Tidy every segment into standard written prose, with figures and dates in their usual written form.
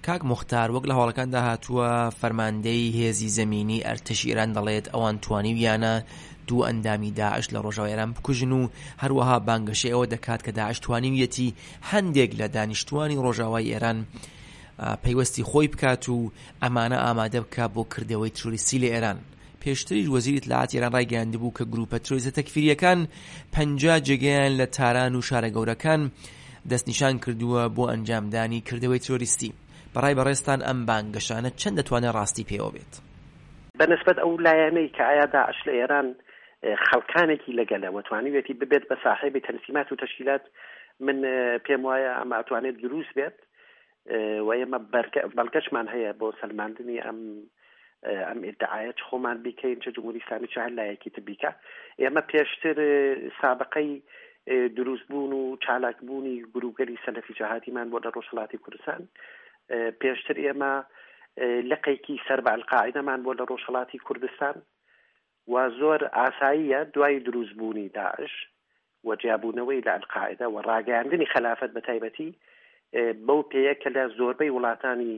کاک موختار وەک لە هەواڵەکاندا هاتووە فەرماندەی هێزی زەمینی ئەرتەشی ئێران دەڵێت ئەوان توانیویانە دوو ئەندامی داعش لە ڕۆژاوای ئێران بکوژن و هەروەها بانگەشەی ئەوە دەکات کە داعش توانیویەتی هەندێک لە دانیشتوانی ڕۆژاوای ئێران پەیوەستی خۆی بکات و ئەمانە ئامادە بکات بۆ کردەوەی ترۆریستی لە ئێران. پێشتریش وەزیری ئیتلاعاتی ئێران ڕایگەیاندبوو کە گرووپە ترۆریستە تەکفیرییەکان 50 جێگەیان لە تاران و شارە گەورەکان دەستنیشان کردووە بۆ ئەنجامدانی کردەوەی ترۆریستی. بە ڕای بەڕێزتان ئەم بانگەشانە چەند دەتوانێت ڕاستی پێوە بێت؟ بە نسبەت ئەو لایەنەی کە ئایا داعش لە ئێران خەڵکانێکی لەگەلە و توانیویەتی ببێت بە ساحێبی تەنسیمات و تەشکیلات، من پێم وایە ئەمە ئەتوانێت دروست بێت و ئێمە بەڵگەشمان هەیە بۆ سەلماندنی ئەم ئەم ئیدعایە چ خۆمان بیکەین چ جمهوری ئیسلامی چ هەر لایەکی تر بیکا. ئێمە پێشتر سابقەی دروستبوون و چالاکبوونی گروپگەلی سەلەفی جەهادیمان بۆ لە ڕۆژهەڵاتی کوردستان. پێشتر ئێمە لقێکی سەر بە ئەلقاعیدەمان بۆ لە ڕۆژهەڵاتی کوردستان و زۆر ئاساییە دوای دروستبوونی داعش و جیابوونەوەی لە ئەلقاعیدە و ڕاگەیاندنی خەلافەت بە تایبەتی بەو پێیە کە لە زۆربەی وڵاتانی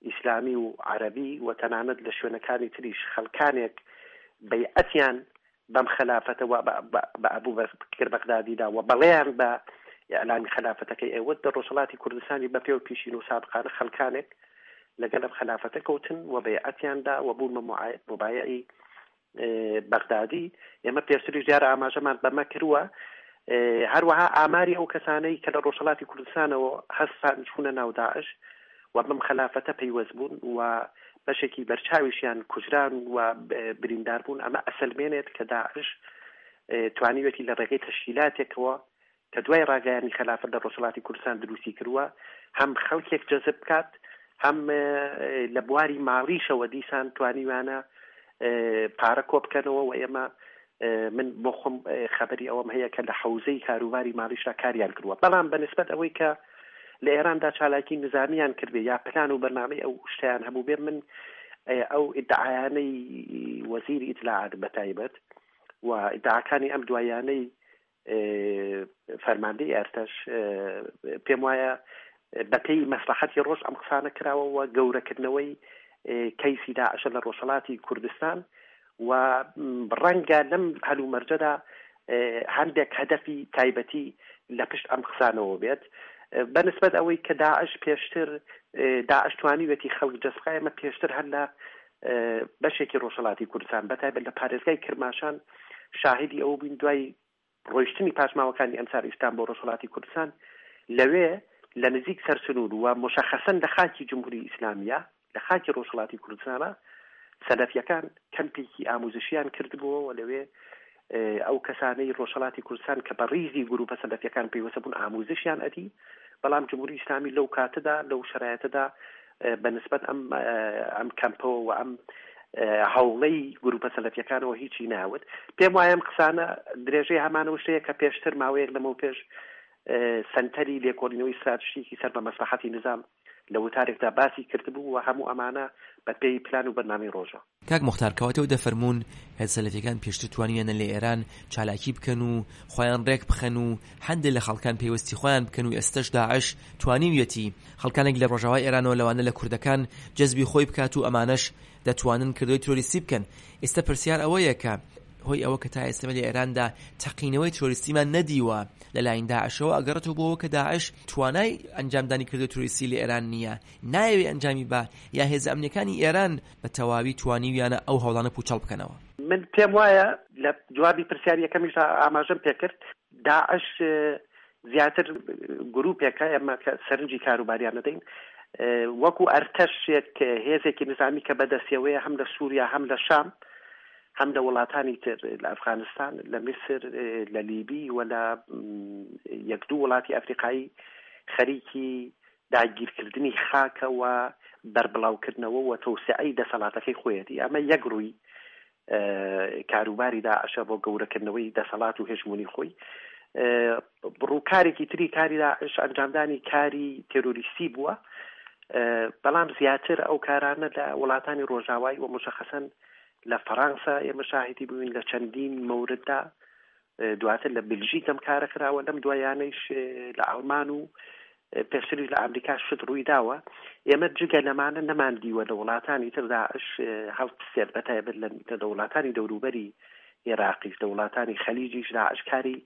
ئیسلامی و عەرەبی و تەنانەت لە شوێنەکانی تریش خەڵکانێک بەیعەتیان بەم خەلافەتە و بە ئەبوبەکر بەغدادی دا و بەڵێیان بە ئیعلانی خەلافەتەکەی ئەوت لە ڕۆژهەڵاتی کوردستانی بە پێ و پیشین و سابقانە خەڵکانێک لەگەل ئەم خەلافەتە کەوتن و بەیعەتیان دا و بوون بە موبایعی بەغدادی. ئێمە پێشتریش دیارە ئاماژەمان بەمە کردووە. هەروەها ئاماری ئەو کەسانەی کە لە ڕۆژهەڵاتی کوردستانەوە هەستان چوونە ناو داعش و بەم خەلافەتە پەیوەست بوون و بەشێکی بەرچاویشیان کوژران و بریندار بوون، ئەمە ئەسەلمێنێت کە داعش توانیویەتی لە ڕێگەی تەشکیلاتێکەوە کە دوای ڕاگەیاندنی خەلافەت لە ڕۆژهەڵاتی کوردستان دروستی کردووە، هەم خەڵکێک جەزب بکات، هەم لە بواری ماڵیشەوە دیسان توانیویانە پارە کۆ بکەنەوە و ئێمە من بۆ خۆم خەبەری ئەوەم هەیە کە لە حەوزەی کاروباری ماڵیشدا کاریان کردووە. بەڵام بە نسبەت ئەوەی کە لە ئێراندا چالاکی نزامیان کردبێ یا پلان و بەرنامەی ئەو شتەیان هەبووبێ، من ئەو ئیدعایانەی وەزیری ئیتلاعات بە تایبەت و ئیدعاکانی ئەم دواییانەی فەرماندەی ئەرتەش پێم وایە بەپێی مەسلحەتی ڕۆژ ئەم قسانە کراوە و گەورەکردنەوەی کەیسی داعشە لە ڕۆژهەڵاتی کوردستان و ڕەنگە لەم هەلومەرجەدا هەندێک هەدەفی تایبەتی لە پشت ئەم قسانەوە بێت. بە نسبەت ئەوەی کە داعش پێشتر داعش توانیوێتی خەڵک جەزب ئێمە پێشتر هەر لە بەشێکی ڕۆژهەڵاتی کوردستان بە تایبەت لە پارێزگای کرماشان شاهیدی ئەوە بووین دوای ڕۆیشتنی پاشماوەکانی ئەنسار ئیسلام بۆ ڕۆژهەڵاتی کوردستان لەوێ لە نزیک سەرسنوور و مشەخەسەن لە خاکی جمهوری ئیسلامیە لە خاکی ڕۆژهەڵاتی کوردستانە سەلەفیەکان کەمپێکی ئاموزشیان کردبووەوە لەوێ ئەو کەسانەی ڕۆژهەڵاتی کوردستان کە بە ڕیزی گروپە سەلەفیەکان پەیوەستە بوون ئاموزشیان ئەدی بەڵام جمهوری ئیسلامی لەو کاتەدا لەو شەرایەتەدا بە نسبەت ئەم ئەم کەمپەوە و ئەم هەوڵەی گروپە سەلەفیەکانەوە هیچی ناوت. پێم وایە ئەم قسانە درێژەی هەمانەوە شتەیە کە پێشتر ماوەیەک لەمەو پێش سەنتەری لێکۆڵینەوەی ستراتژیکی سەر بە مەسلحەتی نزام لە وتارێکدا باسی کردبوو و هەموو ئەمانە بە پێی پلان و بەرنامەی ڕۆژە. کاک موختار کەواتە و دەفەرموون هێزە سەلەفیەکان پێشتر توانیویانە لە ئێران چالاکی بکەن و خۆیان ڕێک بخەن و هەندێ لە خەڵکان پەیوەستی خۆیان بکەن و ئێستەش داعش توانیویەتی خەڵکانێک لە ڕۆژاوای ئێرانەوە لەوانە لە کوردەکان جەزبی خۆی بکات و ئەمانەش دەتوانن کردەوەی ترۆریستی بکەن. ئێستە پرسیار ئەوەیە کە هۆی ئەوە کە تا ئێستە لە ئێراندا تەقینەوەی ترۆریستیمان نەدیوە لە لاین داعشەوە ئەگەڕێتەوە بۆ ئەوە کە داعش توانای ئەنجامدانی کردەوەی ترۆریستی لە ئێران نییە، نایەوێ ئەنجامی با یا هێزە ئەمنیەکانی ئێران بە تەواوی توانیویانە ئەو هەوڵانە پوچەڵ بکەنەوە. من پێم وایە لە جوابی پرسیاری یەکەمیشدا ئاماژەم پێکرد، داعش زیاتر گروپێکە ئێمە کە سەرنجی کاروباریان دەدەین وەکو ئەرتەشێک هێزێکی نزامی کە بەدەستیەوەیە هەم لە سووریا هەم لە شام هەم لە وڵاتانی تر لە ئەفغانستان لە میسر لە لیبی و لە یەک دوو وڵاتی ئەفریقایی خەریکی داگیرکردنی خاکە و بەربڵاوکردنەوە و تەوسعەی دەسەڵاتەکەی خۆیەتی. ئەمە یەک ڕووی کاروباری داعشە بۆ گەورەکردنەوەی دەسەڵات و هێژموونی خۆی. ڕووکارێکی تری کاری داعش ئەنجامدانی کاری تێرۆریستی بووە، بەڵام زیاتر ئەو کارانە لە وڵاتانی ڕۆژاوای و مشەخەسەن لە فەڕانسە ئێمە شاهیدی بووین لە چەندین مەورددا، دواتر لە بلژیک ئەم کارە کراوە، لەم دوایانەیش لە ئەڵمان و. پێشتریش لە ئامریکا شت ڕووی داوە، ئێمە جگە لەمانە نەماندیوە لە وڵاتانی تر داعش هەڵبسێت، بە تایبەت لە وڵاتانی دەوروبەری ئێراقیش، لە وڵاتانی خەلیجیش داعش کاری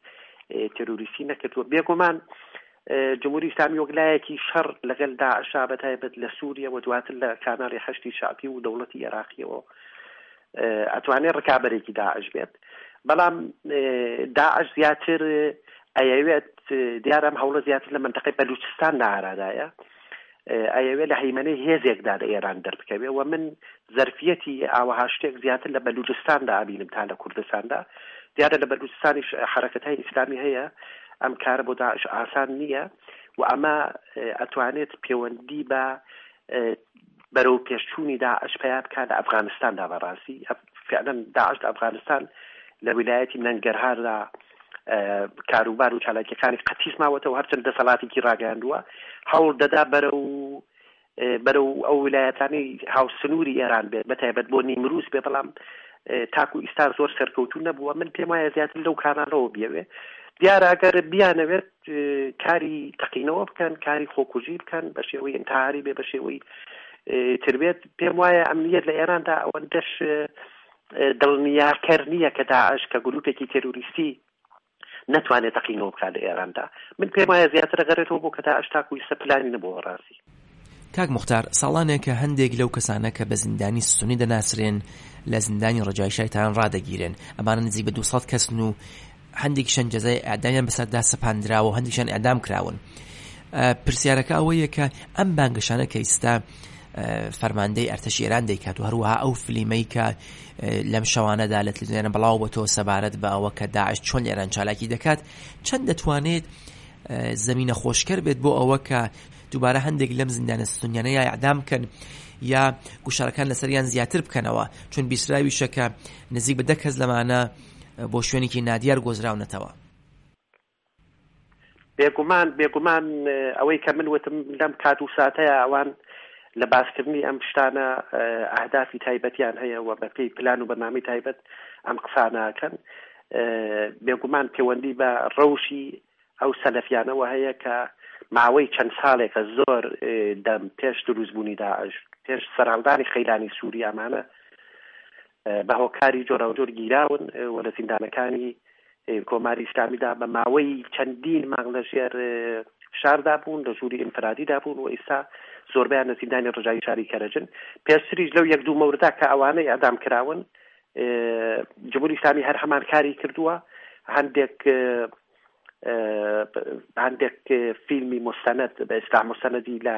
تێرۆریستی نەکردووە. بێگومان جمهوری ئیسلامی وەک لایەکی شەڕ لەگەل داعشا بە تایبەت لە سووریە و دواتر لە کاناڵی حەشدی شەعبی و دەوڵەتی ئێراقیەوە ئەتوانێت ڕکابەرێکی داعش بێت، بەڵام داعش زیاتر ئەیەوێت، دیارە ئەم هەوڵە زیاتر لە مەنتەقەی بەلوچستان لە ئارادایە، ئەیەوێت لە هەیمەنەی هێزێکدا لە ئێران دەربکەوێ و من زەرفیەتی ئاوەها شتێک زیاتر لە بەلوجستاندا ئەبینم تا لە کوردستاندا. دیارە لە بەلوجستانیش حەرەکەتای ئیسلامی هەیە، ئەم کارە بۆ داعش ئاسان نییە و ئەمە ئەتوانێت پێوەندی بە بەرەو پێشچوونی داعش پەیا بکات لە ئەفغانستاندا. بەڕاستی فعلا داعش لە ئەفغانستان لە ویلایەتی نەنگەرهاردا کاروبار و چالاکیەکانی قەتیس ماوەتەوە، هەرچەند دەسەڵاتێکی ڕاگەیاندووە، هەوڵ دەدا بەرەو بەرەو ئەو ویلایەتانەی هاوسنووری ئێران بێت، بە تایبەت بۆ نیمروز بێ، بەڵام تاکو ئیستا زۆر سەرکەوتوو نەبووە. من پێم وایە زیاتر لەو کاناڵەوە بیەوێ. دیارە ئەگەر بیانەوێت کاری تەقینەوە بکەن، کاری خۆکوژی بکەن، بە شێوەی ئینتحاری بێ، بە شێوەی تر بێت، پێم وایە ئەمنیەت لە ئێراندا ئەوەندەش دڵنیاکەر نییە کە داعش کە گروپێکی تێرۆریستی نەتوانێت تەقینەوە بکات لە ئێراندا. من پێم وایە زیاتر ئەگەڕێتەوە بۆ کە داعش تاکو ئیستا پلانی نەبووە ڕاستی. کاک موختار، ساڵانێکە هەندێک لەو کەسانە کە بە زیندانی سوننی دەناسرێن لە زیندانی ڕەجایی شاری تاران ڕادەگیرێن، ئەمانە نزیک بە 200 کەسن و هەندێکیشیان جەزای ئێعدامیان بەسەردا سەپاندراوە و هەندێکیشیان ئێعدام کراون. پرسیارەکە ئەوەیە کە ئەم بانگەشانە کە ئیستا فەرماندەی ئەرتەشی ئێران دەیکات و هەروەها ئەو فلیمەی کە لەم شەوانەدا لە تلویزیۆنە بڵاو بۆتەوە سەبارەت بە ئەوە کە داعش چۆن لە ئێران چالاکی دەکات، چەند دەتوانێت زەمینە خۆشکەر بێت بۆ ئەوە کە دووبارە هەندێک لەم زیندانە سونیانە یا ئیعدام بکەن یا گوشارەکان لەسەریان زیاتر بکەنەوە، چون بیستراویشە کە نزیک بە دە کەس لەمانە بۆ شوێنێکی نادیار گۆزراونەتەوە. بێگومان بێگومان ئەوەی کە من وتم لەم کات و ساتەیا ئەوان لە باسکردنی ئەم شتانە ئەهدافی تایبەتیان هەیە و بە پێی پلان و بەرنامەی تایبەت ئەم قسانە ئەکەن. بێگومان پێوەندی بە ڕەوشی ئەو سەلەفیانەوە هەیە کە ماوەی چەند ساڵێکە زۆر دەم پێش دروستبوونی داعش، پێش سەرهەڵدانی قەیرانی سووری ئەمانە بە هۆکاری جۆراوجۆر گیراون و لە زیندانەکانی کۆماری ئیسلامیدا بە ماوەی چەندین مانگ لە ژێر فشاردا بوون، لە ژووری ئینفرادیدا بوون و ئیستا زۆربەیان لە زیندانی ڕژاوی شاری کەرەجن. پێشتریش لەو یەک دوو مەوردا کە ئەوانە ئێعدام کراون، جمهوری ئیسلامی هەر هەمان کاری کردووە. هەندێک هەندێک فیلمی مستند بە ئیسلاح مستندی لە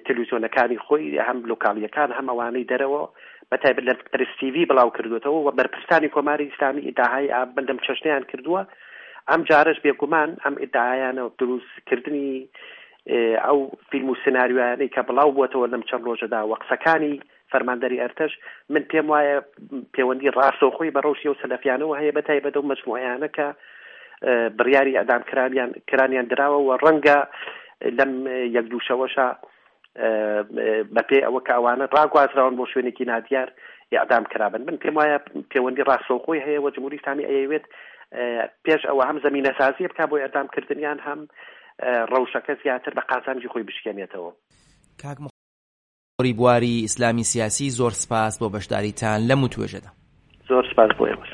تەلویزیۆنەکانی خۆی هەم لۆکاڵیەکان هەم ئەوانەی دەرەوە بە تایبەت لە پرس تیڤی بڵاو کردوێتەوە و بەرپرسانی کۆماری ئیسلامی ئیدعای بەندەم چەشنیان کردووە. ئەم جارەش بێگومان ئەم ئیدعایانە دروستکردنی ئەو فیلم و سناریۆیانەی کە بڵاو بووەتەوە لەم چەند ڕۆژەدا و قسەکانی فەرماندەری ئەرتەش، من پێم وایە پێوەندی ڕاستەوخۆی بە ڕەوشی ئەو سەلەفیانەوە هەیە، بە تایبەت ئەو مەجموعەیانە کە بڕیاری ئیعدام کرانیان کرانیان دراوە و ڕەنگە لەم یەک دوو شەوەشا بە پێی ئەوە کە ئەوانە ڕاگوازراون بۆ شوێنێکی نادیار ئیعدام کرابن. من پێم وایە پێوەندی ڕاستەوخۆی هەیە و جمهوری ئیسلامی ئەیەوێت پێش ئەوە هەم زەمینەسازی بکا بۆ ئیعدام کردنیان، هەم ڕەوشەکە زیاتر بە قازانجی خۆی بشکێنێتەوە. کاک پسپۆری بواری ئیسلامی سیاسی زۆر سپاس بۆ بەشداریتان لەم وتوێژەدا. زۆر سپاس بۆ ئێوەش.